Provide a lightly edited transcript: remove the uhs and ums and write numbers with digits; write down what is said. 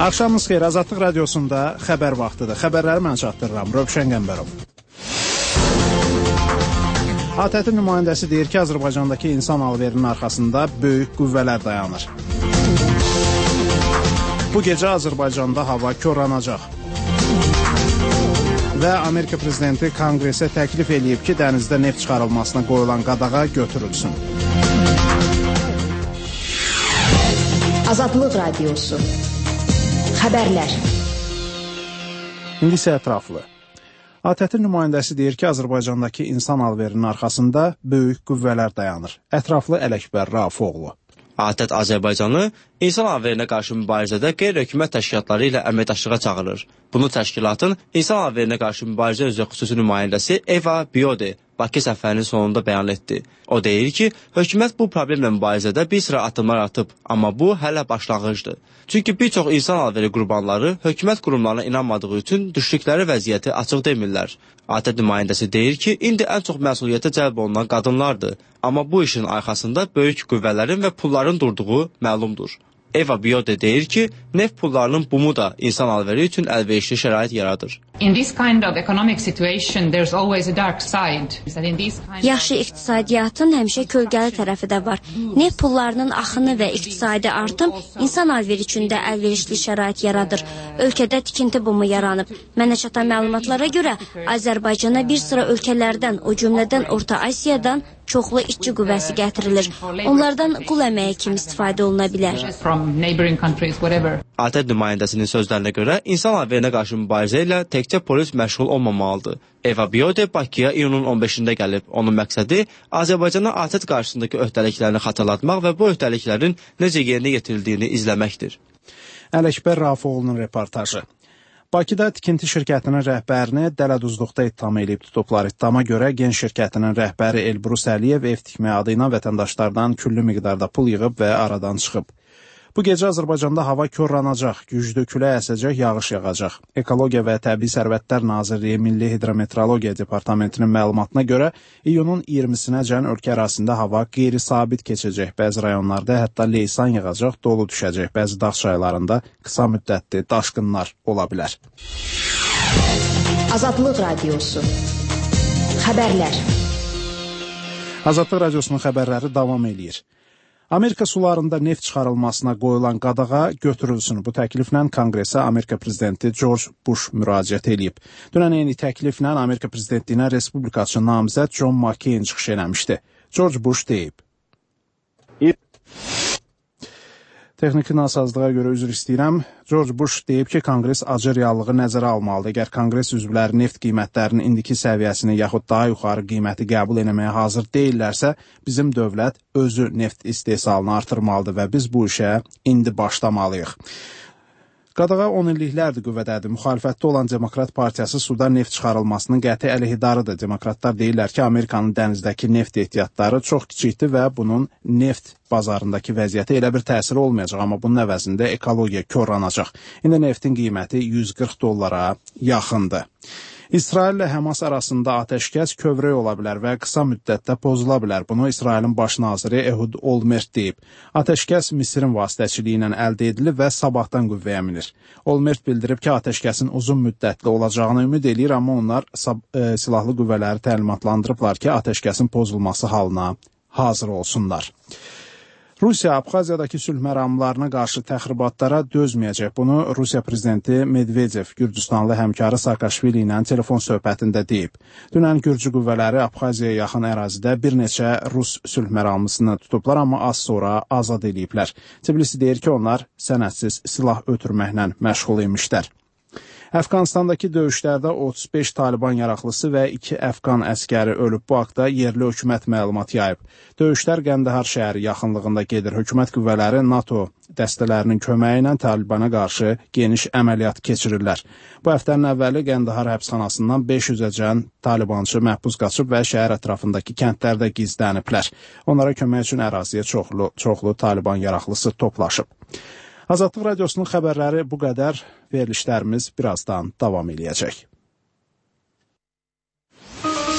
Axşamınız xeyir, Azadlıq Radiosunda xəbər vaxtıdır. Xəbərləri mən çatdırıram, Rövşən Qəmbərov. ATƏT-in nümayəndəsi deyir ki, Azərbaycandakı insan alverinin arxasında böyük qüvvələr dayanır. Bu gecə Azərbaycanda hava korlanacaq. Və Amerika prezidenti Konqresə təklif eləyib ki, dənizdə neft çıxarılmasına qoyulan qadağa götürülsün. Azadlıq Radiosu. Xəbərlər. İndi isə ətraflı. ATƏT-in nümayəndəsi deyir ki, Azərbaycandakı insan alverinin arxasında böyük qüvvələr dayanır. Ətraflı Ələkbər Rafoğlu. ATƏT Azərbaycanı insan alverinə qarşı mübarizədə qeyri-hökumət təşkilatları ilə əməkdaşlığa çağırır. Bunu təşkilatın insan alverinə qarşı mübarizə üzrə xüsusi nümayəndəsi Eva Biode Bakı səfərinin sonunda bəyan etdi. O deyir ki, hökumət bu problemlə mübarizədə bir sıra addımlar atıb, amma bu hələ başlanğıcdır. Çünki bir çox insan alveri qurbanları hökumət qurumlarına inanmadığı üçün düşdükləri vəziyyəti açıq demirlər. ATƏT nümayəndəsi deyir ki, indi ən çox məsuliyyətə cəlb olunan qadınlardır. Amma bu işin arxasında böyük qüvvələrin və pulların durduğu məlumdur. Eva Biode deyir ki, neft pullarının bumu da insan alveri üçün əlverişli şərait yaradır. Yaxşı iqtisadiyyatın həmişə kölgəli tərəfi də var. Neft pullarının axını və iqtisadi artım insan alveri üçün də əlverişli şərait yaradır. Ölkədə tikinti bumu yaranıb. Mənə çatan məlumatlara görə Azərbaycana bir sıra ölkələrdən, o cümlədən Orta Asiyadan çoxlu işçi qüvvəsi gətirilir. Onlardan qul əməyi kimi istifadə oluna bilər. ATƏT nümayəndəsinin sözlərinə görə insan alverinə qarşı mübarizə ilə təkcə polis məşğul olmamalıdır. Eva Biode Bakıya iyunun 15-də gəlib. Onun məqsədi Azərbaycana ATƏT qarşısındakı öhdəliklərini xatırlatmaq və bu öhdəliklərin necə yerinə yetirildiyini izləməkdir. Ələkbər Rafoğlu'nun reportajı. Bakıda tikinti şirkətinin rəhbərini dələduzluqda ittiham edib tutublar. İttihama görə Gen şirkətinin rəhbəri Elbrus Əliyev ev tikmək adı ilə vətəndaşlardan küllü miqdarda pul yığıb və aradan çıxıb. Bu gecə Azərbaycanda hava korlanacaq, güclü külək əsəcək, yağış yağacaq. Ekologiya və Təbii Sərvətlər Nazirliyi Milli Hidrometeorologiya Departamentinin məlumatına görə iyunun 20-sinəcən ölkə ərazisində hava qeyri-sabit keçəcək. Bəzi rayonlarda hətta leysan yağacaq, dolu düşəcək. Bəzi dağ çaylarında qısa müddətli daşqınlar ola bilər. Azadlıq Radiosu. Xəbərlər. Azadlıq Radiosunun xəbərləri davam eləyir. Amerika sularında neft çıxarılmasına qoyulan qadağa götürülsün. Bu təkliflə Konqresə Amerika prezidenti George Bush müraciət edib. Dünən eyni təkliflə Amerika prezidentliyinə respublikaçı namizəd John McCain çıxış eləmişdi. George Bush deyib. Texniki nasazlığa görə üzr istəyirəm. George Bush deyib ki, Konqres acı reallığı nəzərə almalıdır. Əgər Konqres üzvləri neft qiymətlərinin indiki səviyyəsini yaxud daha yuxarı qiyməti qəbul etməyə hazır deyillərsə, bizim dövlət özü neft istehsalını artırmalıdır və biz bu işə indi başlamalıyıq. Qadağa 10 illiklərdir qüvvədədir. Müxalifətdə olan Demokrat Partiyası suda neft çıxarılmasının qəti əleyhidarıdır. Demokratlar deyirlər ki, Amerikanın dənizdəki neft ehtiyatları çox kiçikdir və bunun neft bazarındakı vəziyyəti elə bir təsiri olmayacaq, amma bunun əvəzində ekologiya korlanacaq. İndi neftin qiyməti $140 yaxındır. İsrail ilə Həmas arasında atəşkəs kövrək ola bilər və qısa müddətdə pozula bilər. Bunu İsrailin baş naziri Ehud Olmert deyib. Atəşkəs Misirin vasitəçiliyi ilə əldə edilib və sabahdan qüvvəyə minir. Olmert bildirib ki, atəşkəsin uzun müddətli olacağını ümid eləyir, amma onlar silahlı qüvvələri təlimatlandırıblar ki, atəşkəsin pozulması halına hazır olsunlar. Rusiya Abxaziyadakı sülh məramlarına qarşı təxribatlara dözməyəcək. Bunu Rusiya prezidenti Medvedev Gürcüstanlı həmkarı Saakashvili ilə telefon söhbətində deyib. Dünən Gürcü qüvvələri Abxaziyaya yaxın ərazidə bir neçə Rus sülh məramlısını tutublar, amma az sonra azad ediblər. Tbilisi deyir ki, onlar sənədsiz silah ötürməklə məşğul imişlər. Əfqanistandakı döyüşlərdə 35 Taliban yaraqlısı və 2 Əfqan əskəri ölüb. Bu haqda yerli hökumət məlumat yayıb. Döyüşlər Qəndahar şəhəri yaxınlığında gedir. Hökumət qüvvələri NATO dəstələrinin köməyi ilə Talibana qarşı geniş əməliyyat keçirirlər. Bu həftənin əvvəli Qəndahar həbsxanasından 500-əcən Talibançı məhbus qaçıb və şəhər ətrafındakı kəndlərdə gizləniblər. Onlara kömək üçün əraziyə çoxlu Taliban yaraqlısı toplaşıb. Azadlıq Radiosunun xəbərləri bu qədər. Verilişlərimiz birazdan davam eləyəcək.